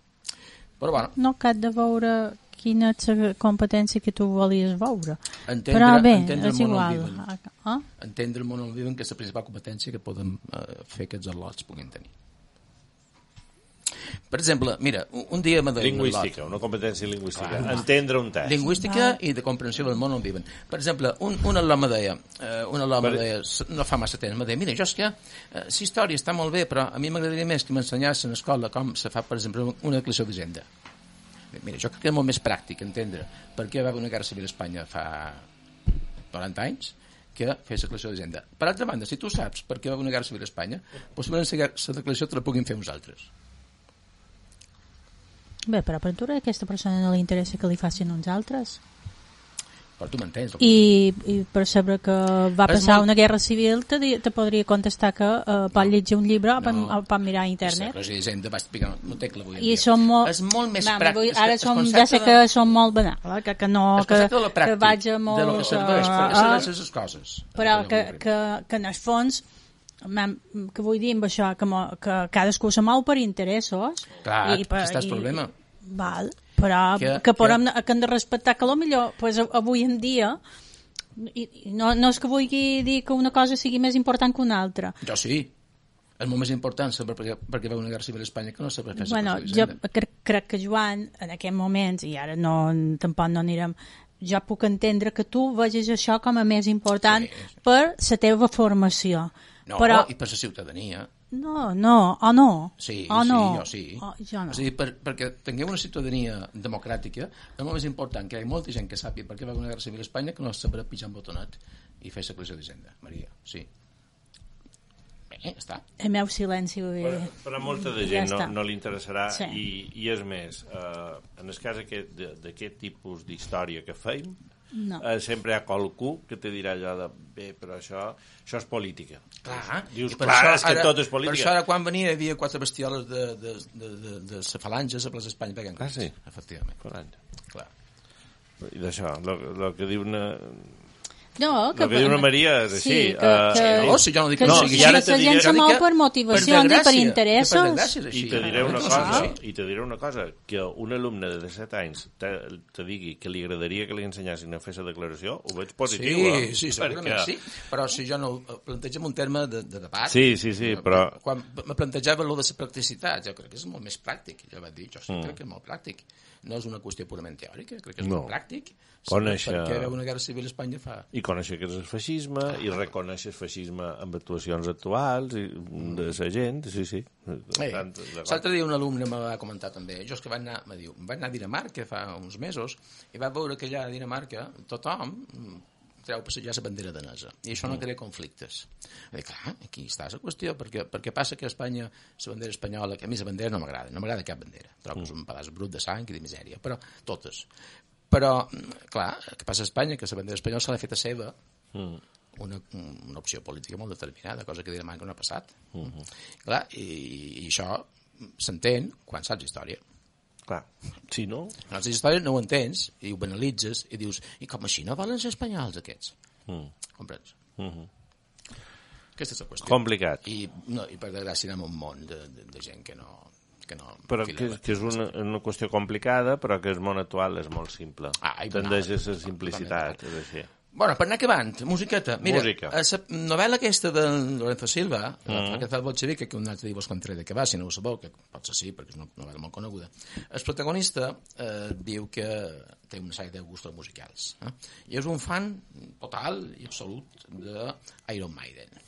Però bueno. No cal de veure quina és la competència que tu volies veure. Però bé, és igual. Entendre el món on viuen, que és la principal competència que poden fer que els al·lots puguin tenir. Per exemple, mira, un dia m'ha de... Lingüística, una competència lingüística. Entendre un test. Lingüística i de comprensió del món on viven. Per exemple, un al·lò me deia, no fa massa temps, me deia, mira, jo és que la història està molt bé, però a mi m'agradaria més que m'ensenyassin a l'escola com se fa, per exemple, una declaració d'agenda. Mira, jo crec que és molt més pràctic entendre per què va haver una guerra civil a Espanya fa 40 anys que fer la declaració d'agenda. Per altra banda, si tu saps per què va haver una guerra civil a Espanya, possiblement la declaració te la puguin fer uns altres. Bé, però per tu a aquesta persona no li interessa que li facin uns altres? Però tu m'entens. I per saber que va passar una guerra civil te podria contestar que pot llegir un llibre o pot mirar a internet. I són molt... És molt més pràctic. Ara ja sé que són molt banals, que no... Que vaig a molt... De lo que serveix, perquè serveix les coses. Però que en el fons... que vull dir amb això, que cadascú se mou per interessos. Clar, aquest és el problema. Val, però que hem de respectar que potser pues, avui en dia no és que vulgui dir que una cosa sigui més important que una altra. Jo sí, és molt més important saber perquè va una guerra civil a Espanya que no saber fer jo crec que Joan, en aquests moments, i ara tampoc no anirem, jo puc entendre que tu vegis això com a més important per la teva formació. No, i per la ciutadania. No, o no? Sí, jo sí. Jo no. És a dir, perquè tinguem una ciutadania democràtica, és molt més important que hi ha molta gent que sàpiga per què va haver una guerra civil a Espanya que no sabrà pitjar un botonet i fer secreció d'Hisenda, Maria, sí. Bé, està. El meu silenci... Però a molta de gent no li interessarà i és més, en el cas d'aquest tipus d'història que feim, sempre hi ha qualcú que te dirà allò de bé, però això és política. Clar, dius, clar, és que tot és política. Per això ara quan venia hi havia 4 bestioles de falanges a plaça Espanya pegant coses. Sí, efectivament. Clar. I d'això, el que diu una... No, que diu una Maria és així. Si jo no dic que no sigui. La gent se mou per motivacions i per interessos. I te diré una cosa, que un alumne de 17 anys te digui que li agradaria que li ensenyassin a fer la declaració, ho veig positiu. Sí, segurament sí, però si jo no plantejo un terme de debat... Sí, però... Quan me plantejava allò de la practicitat, jo crec que és molt més pràctic. Jo vaig dir, jo sí crec que és molt pràctic. No és una qüestió purament teòrica, crec que és molt pràctic. Perquè veu una guerra civil a Espanya fa... I conèixer que és el feixisme, i reconèixer el feixisme amb actuacions actuals de la gent, sí. L'altre dia un alumne me va comentar també, jo és que vaig anar a Dinamarca fa uns mesos, i vaig veure que allà a Dinamarca tothom treu passejar la bandera danesa, i això no crea conflictes. Clar, aquí està la qüestió, perquè passa que a Espanya la bandera espanyola, que a mi la bandera no m'agrada cap bandera, trobo que és un pedaç brut de sang i de misèria, però totes. Però, clar, que passa a Espanya, que la bandera espanyola se l'ha fet a seva una opció política molt determinada, cosa que a Dinamarca no ha passat. Clar, i això s'entén quan saps història. Clar, si no... Quan saps història no ho entens, i ho banalitzes, i dius, i com així no volen ser espanyols, aquests? Comprens? Aquesta és la qüestió. Complicat. I per desgràcia anem un món de gent que no... Però que és una qüestió complicada, però que el món actual és molt simple. Tendeix a la simplicitat, és així. Bueno, per anar acabant, musiqueta. Mira, la novel·la aquesta de Lorenzo Silva, La Fraqueza bolchevique, que un altre dia vos contaré de què va, si no ho sabeu, que potser sí, perquè és una novel·la molt coneguda. El protagonista diu que té una sèrie de gustos musicals. I és un fan total i absolut d'Iron Maiden.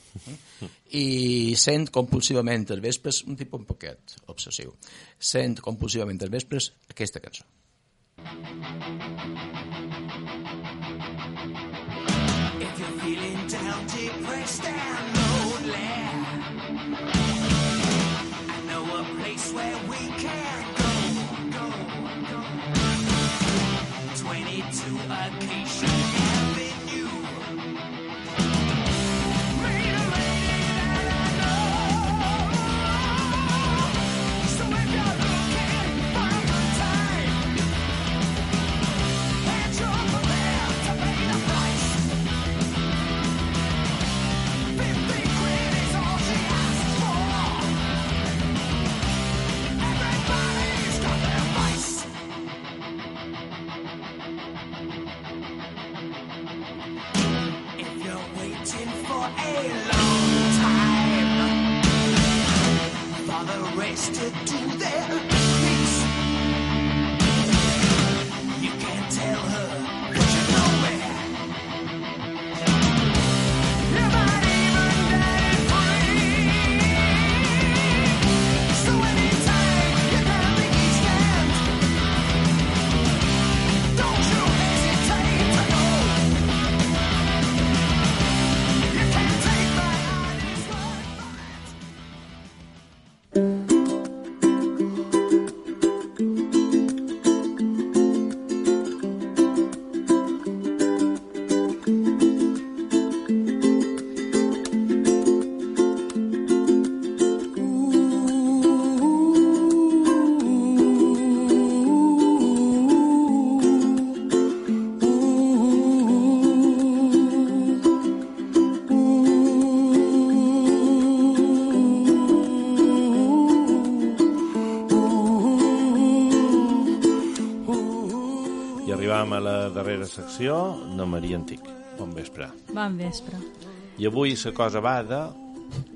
I sent compulsivament els vespres, un tipus un poquet obsessiu, sent compulsivament els vespres aquesta cançó. If you're feeling down, depressed and lonely, I know a place where we can go. 22 Acacia Avenue. Meet a lady that I know. So if you're looking for a good time, and you're prepared to pay the price, 50 quid is all she asks for. Everybody's got their vice. If you're waiting for a long time for the rest to do their piece, you can't tell her, 'cause you know where. You might even get it free. So anytime you can make it stand, don't you hesitate to go. You can't take my honest word for I arribam a la darrera secció de Maria Antic. Bon vespre. Bon vespre. I avui la cosa va de...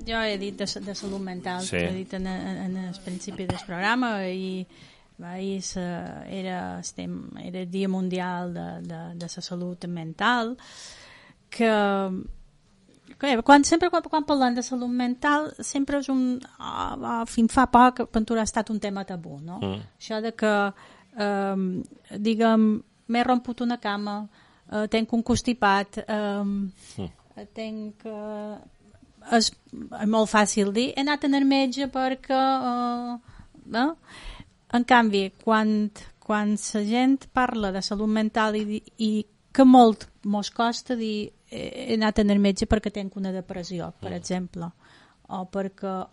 Jo he dit de salut mental, sí. He dit en el principi del programa, i ahir era el Dia Mundial de la Salut Mental, que Sempre quan parlem de salut mental sempre és fins fa poc pintura ha estat un tema tabú, no? Això de que diguem, m'he romput una cama, tenc un constipat, tenc és molt fàcil dir he anat al metge perquè no? En canvi quan la gent parla de salut mental i que molt mos costa dir he anat al metge perquè tenc una depressió, per exemple, o perquè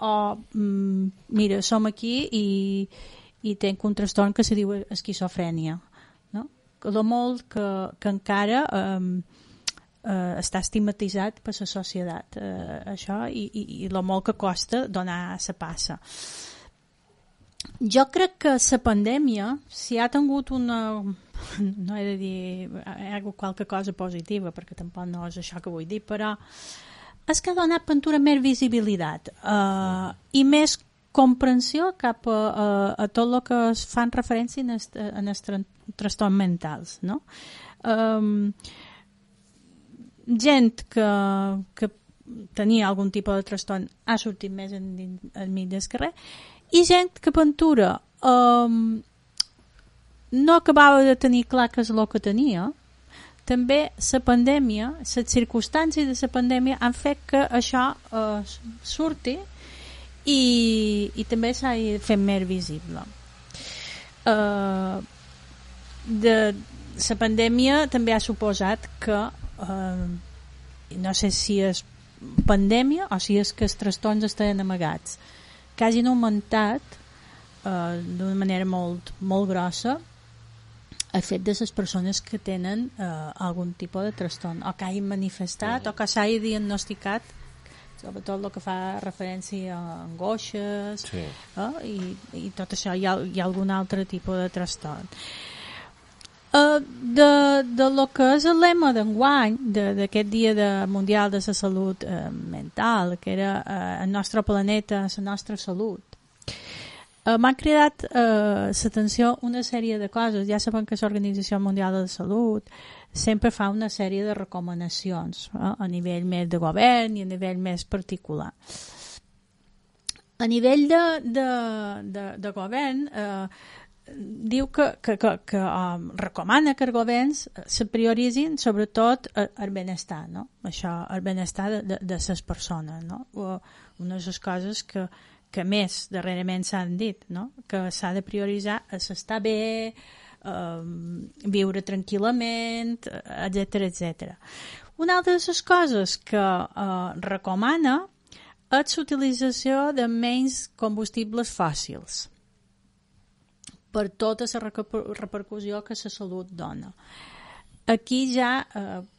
mira, som aquí i tenc un trastorn que se diu esquizofrènia, no? Lo molt que encara està estigmatitzat per la societat això i lo molt que costa donar la passa. Jo crec que la pandèmia, si ha tingut una... no he de dir hi ha qualque cosa positiva, perquè tampoc no és això que vull dir, però és que ha donat pintura més visibilitat i més comprensió cap a tot el que es fan referència en els trastorns mentals, no? Gent que tenia algun tipus de trastorn ha sortit més enmig del carrer i gent que pintura no acabava de tenir clar què és el que tenia. També la pandèmia, les circumstàncies de la pandèmia han fet que això surti i també s'ha fet més visible. La pandèmia també ha suposat que no sé si és pandèmia o si és que els trastorns estaven amagats, que hagin augmentat d'una manera molt, molt grossa el fet de les persones que tenen algun tipus de trastorn o que hagin manifestat o que s'hagi diagnosticat, sobretot el que fa referència a angoixes i tot això, hi ha algun altre tipus de trastorn. De lo que és el lema d'enguany d'aquest dia mundial de la salut mental, que era el nostre planeta, la nostra salut, m'ha cridat l'atenció una sèrie de coses. Ja sabem que l'Organització Mundial de la Salut sempre fa una sèrie de recomanacions a nivell més de govern i a nivell més particular. A nivell de govern diu que recomana que els governs se prioritzin sobretot el benestar, no? Això, el benestar de les persones, no? Una de les coses que més darrerament s'han dit, no? Que s'ha de prioritzar estar bé, viure tranquil·lament, etc. Una altra de les coses que recomana és l'utilització de menys combustibles fòssils per tota la repercussió que la salut dona. Aquí ja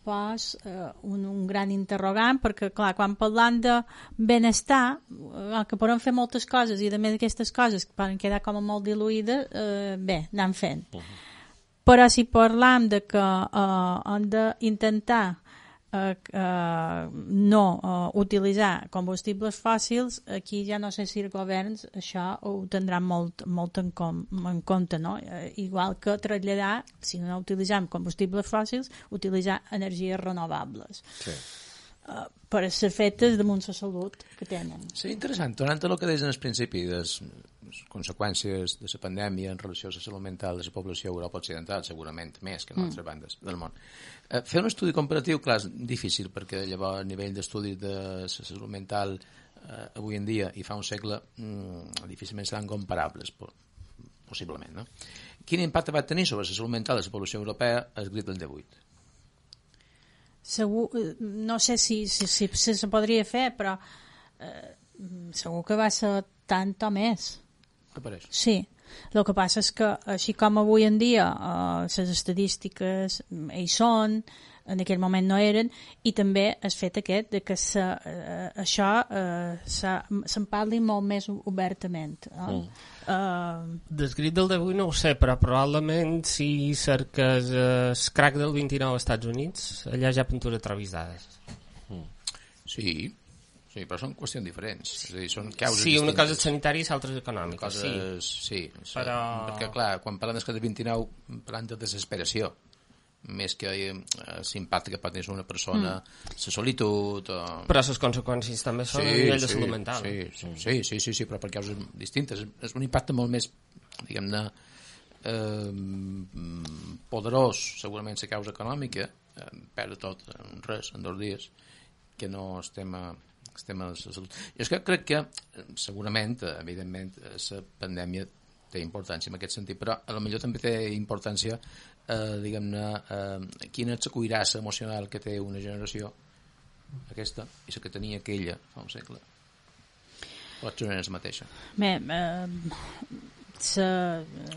pos un gran interrogant, perquè clar, quan parlant de benestar, que podem fer moltes coses i a més aquestes coses que poden quedar com molt diluïdes, bé, anem fent. Però si parlam de que hem d'intentar no utilitzar combustibles fòssils, aquí ja no sé si els governs això ho tindran molt en compte, no? Igual que traslladar, si no utilitzem combustibles fòssils, utilitzar energies renovables per a ser fetes damunt la salut que tenen. Sí, interessant. Tornant a el que deies en el principi de les conseqüències de la pandèmia en relació a la salut mental de la població a Europa Occidental, segurament més que en altres bandes del món. Fer un estudi comparatiu, clar, és difícil, perquè llavors el nivell d'estudi de la salut mental avui en dia i fa un segle difícilment seran comparables, possiblement, no? Quin impacte va tenir sobre la salut mental de la població europea el Grip del 18? Segur, no sé si se podria fer, però segur que va ser tant o més. Apareix. Sí, el que passa és que així com avui en dia les estadístiques hi són, en aquell moment no eren, i també el fet aquest de que això se'n parli molt més obertament. Descrit del 18 no ho sé, però probablement si cerques el crack del 29 als Estats Units, allà hi ha pintura travisades. Sí, però són qüestions diferents. És a dir, són causes sí, una distintes. cosa és sanitària i l'altra és econòmica. Sí, però... perquè clar, quan parlem del 29 parlem de desesperació. més que l'impacte que pot tenir una persona, la solitud... Però les conseqüències també són a nivell de salut mental. Sí, però per causes distintes. És un impacte molt més, diguem-ne, poderós, segurament la causa econòmica, perdre tot en res, en 2 dies, que no el tema de la salut. Jo és que crec que, segurament, evidentment, la pandèmia té importància en aquest sentit, però a lo millor també té importància, diguem-ne, quina és la cuirassa emocional que té una generació, aquesta, i la que tenia aquella fa un segle. Pot ser la mateixa. Bé,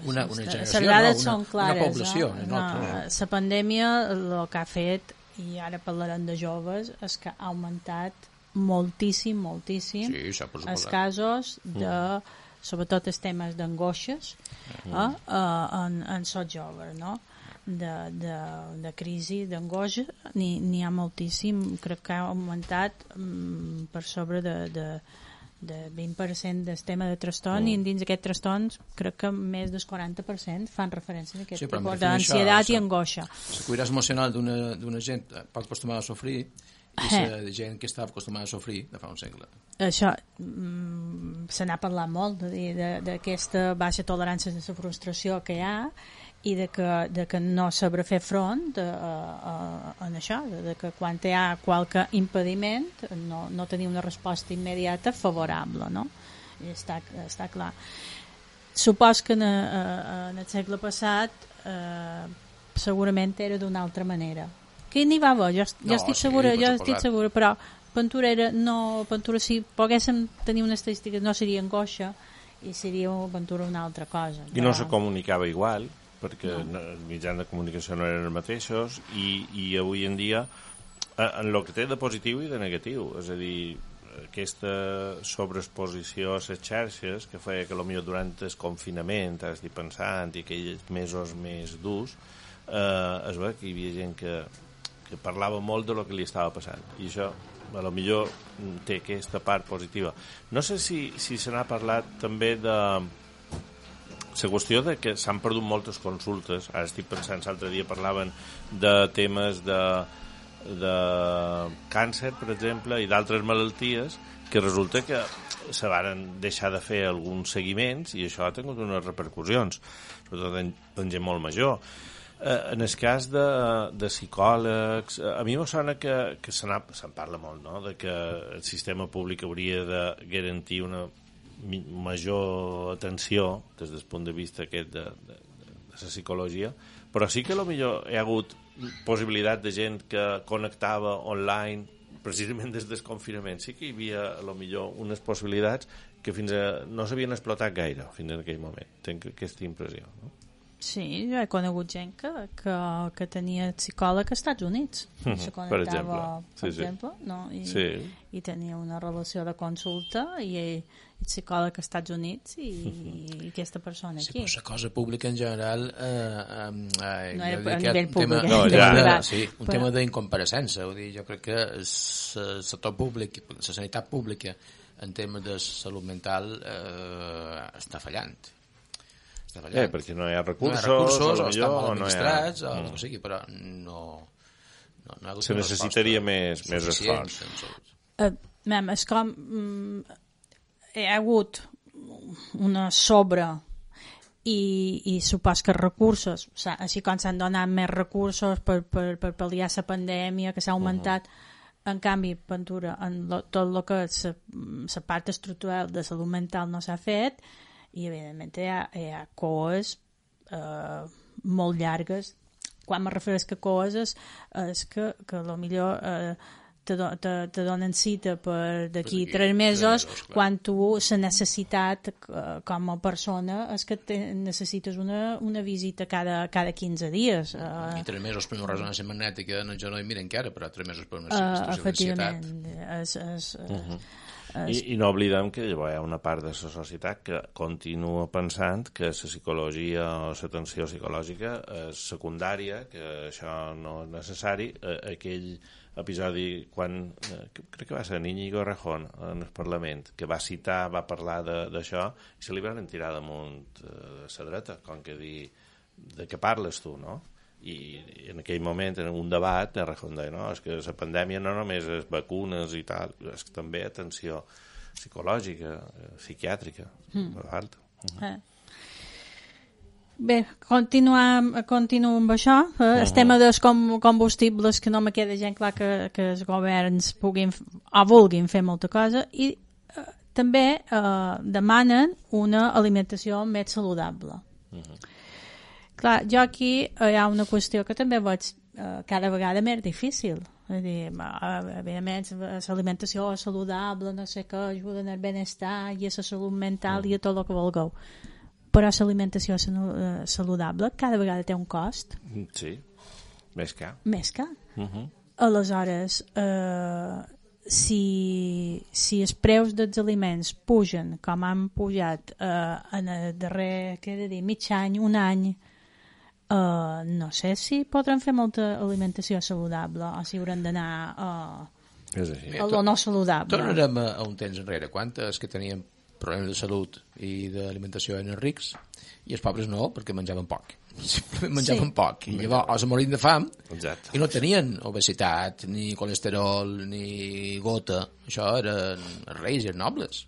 una generació, una població. La pandèmia el que ha fet, i ara parlarem de joves, és que ha augmentat moltíssim els casos de, sobretot els temes d'angoixes en sots joves, no? De crisi, d'angoixa, n'hi ha moltíssim. Crec que ha augmentat per sobre de 20% del tema de trastorn, i dins d'aquests trastorns crec que més del 40% fan referència a aquest tipus d'ansietat i angoixa. La cuirassa emocional d'una gent poc acostumada a sofrir i la gent que estava acostumada a sofrir de fa un segle. Això se n'ha parlat molt d'aquesta baixa tolerància de la frustració que hi ha i de que no sabrà fer front a això, de que quan hi ha qualque impediment no tenir una resposta immediata favorable, no? I està clar. Supos que en el segle passat segurament era d'una altra manera. Que n'hi va haver, jo estic segura, però Ventura, si poguéssim tenir una estadística, no seria angoixa i seria Ventura una altra cosa. I no se comunicava igual, perquè els mitjans de comunicació no eren els mateixos, i avui en dia en el que té de positiu i de negatiu, és a dir, aquesta sobreexposició a les xarxes que feia que potser durant el confinament, ara estic pensant, i aquells mesos més durs, es veu que hi havia gent que parlava molt de lo que li estava passant, i això a lo millor té aquesta part positiva. No sé si se n'ha parlat també de la qüestió de que s'han perdut moltes consultes. Ara estic pensant, l'altre dia parlaven de temes de càncer, per exemple, i d'altres malalties, que resulta que se varen deixar de fer alguns seguiments i això ha tingut unes repercussions, sobretot en gent molt major. En el cas de psicòlegs, a mi me sona que se'n parla molt, no?, de que el sistema públic hauria de garantir una major atenció des del punt de vista aquest de la psicologia, però sí que potser hi ha hagut possibilitat de gent que connectava online precisament des del confinament. Sí que hi havia potser unes possibilitats que no s'havien explotat gaire fins en aquell moment. Tinc aquesta impressió, no? Sí, jo he conegut gent que tenia psicòleg als Estats Units. Se connectava, per exemple, no? I tenia una relació de consulta i el psicòleg als Estats Units i aquesta persona aquí. Sí, però la cosa pública en general no era a nivell públic. Un tema d'incompareixença. Jo crec que el sector públic, la sanitat pública en temes de salut mental està fallant. Perquè no hi ha recursos, o estan mal administrats, o el que sigui, però no se necessitaria més esforç. És com hi ha hagut una sobre i supos que recursos, així com s'han donat més recursos per pal·liar la pandèmia que s'ha augmentat, en canvi, Ventura, en tot el que és la part estructural de salut mental no s'ha fet, i evidentment hi ha coes molt llargues. Quan me refereix a coes és que potser te donen cita per d'aquí 3 mesos, quan tu la necessitat com a persona és que necessites una visita cada 15 dies. I 3 mesos per una resonància magnètica jo no hi miro encara, però 3 mesos per una situació d'ansietat. I no oblidem que llavors hi ha una part de la societat que continua pensant que la psicologia o l'atenció psicològica és secundària, que això no és necessari. Aquell episodi quan crec que va ser Íñigo Errejón en el Parlament, que va parlar d'això, i se li van tirar damunt la dreta, com que dir de què parles tu, no? I en aquell moment, en un debat, Errejón deia, no, és que la pandèmia no només és vacunes i tal, és que també atenció psicològica, psiquiàtrica, falta. Bé, continuo amb això. El tema dels combustibles, que no me queda gent clar que els governs vulguin fer molta cosa, i també demanen una alimentació més saludable. Clar, jo aquí hi ha una qüestió que també veig cada vegada més difícil. És a dir, evidentment, l'alimentació saludable, no sé què, ajuda al benestar i a la salut mental i a tot el que vulgueu. Però l'alimentació saludable cada vegada té un cost. Sí, més car. Més car. Aleshores, si els preus dels aliments pugen, com han pujat en el darrer, què he de dir, mig any, un any, no sé si podran fer molta alimentació saludable o si hauran d'anar a lo no saludable. Tornarem a un temps enrere. Quantes que tenien problemes de salut i d'alimentació eren rics i els pobres no, perquè menjaven poc. Simplement menjaven poc. I llavors o se morien de fam i no tenien obesitat, ni colesterol, ni gota. Això eren reis i nobles.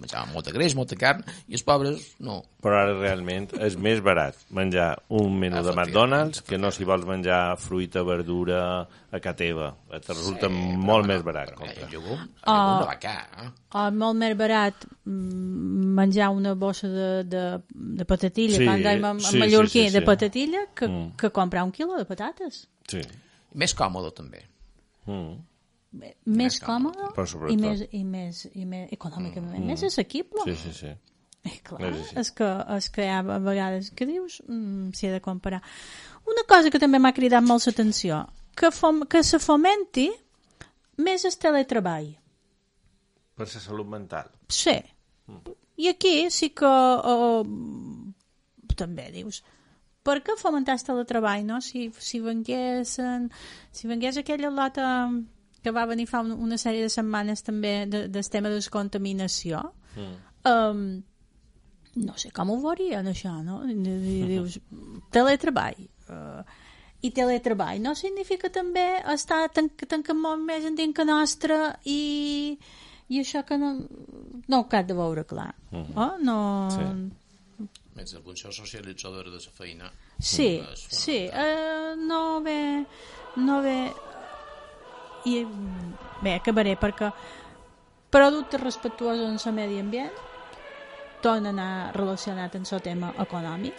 Menjaven molta greix, molta carn, i els pobres no. Però ara realment és més barat menjar un menú de McDonald's que no si vols menjar fruita, verdura a casa teva. Et resulta molt més barat. Molt més barat menjar una bossa de patatilla, quan anem a Mallorquí, de patatilla, que comprar un quilo de patates. Sí. Més còmode, també. Més còmode i més econòmicament més assequible. Sí. Clar, és que hi ha vegades que dius s'hi ha de comparar. Una cosa que també m'ha cridat molt l'atenció, que se fomenti més el teletreball. Per la salut mental. Sí. I aquí sí que també dius, per què fomentar el teletreball, no? Si vengués aquella lota que va venir fa una sèrie de setmanes també del tema de descontaminació, no sé com ho veurien això, no? Dius, teletreball. I teletreball no significa també estar tancant molt més en dintre nostra i això que no ho cal de veure clar. Més la funció socialitzadora de la feina. Sí, no ve i bé, acabaré perquè productes respectuosos en el medi ambient tornen a anar relacionat amb el tema econòmic.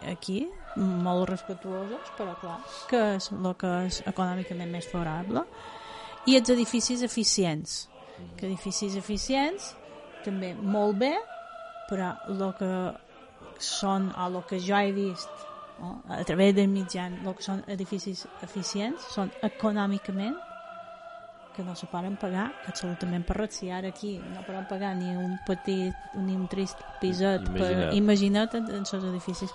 Aquí molt respectuosos, però clar que és el que és econòmicament més favorable, i els edificis eficients, que edificis eficients també molt bé, però el que són, o el que jo he vist a través del mitjan, el que són edificis eficients són econòmicament que no se poden pagar absolutament per res. Si ara aquí no poden pagar ni un petit ni un trist piset imagina't en els edificis.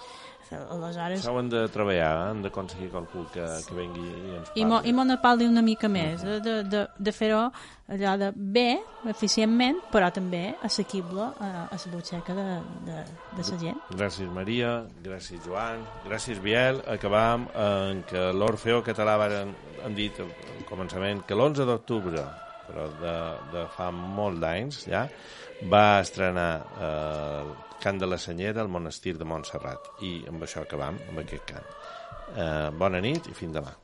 Aleshores s'ho han de treballar, han d'aconseguir qualcú que vengui i ens parli i me parli una mica més de fer-ho allò de bé, eficientment, però també assequible a la butxaca de la gent. Gràcies Maria, gràcies Joan, gràcies Biel. Acabam en que l'Orfeo Català han dit al començament que l'11 d'octubre, però de fa molt d'anys ja, va estrenar Cant de la Senyera al monestir de Montserrat, i amb això acabam, amb aquest cant. Bona nit i fins demà.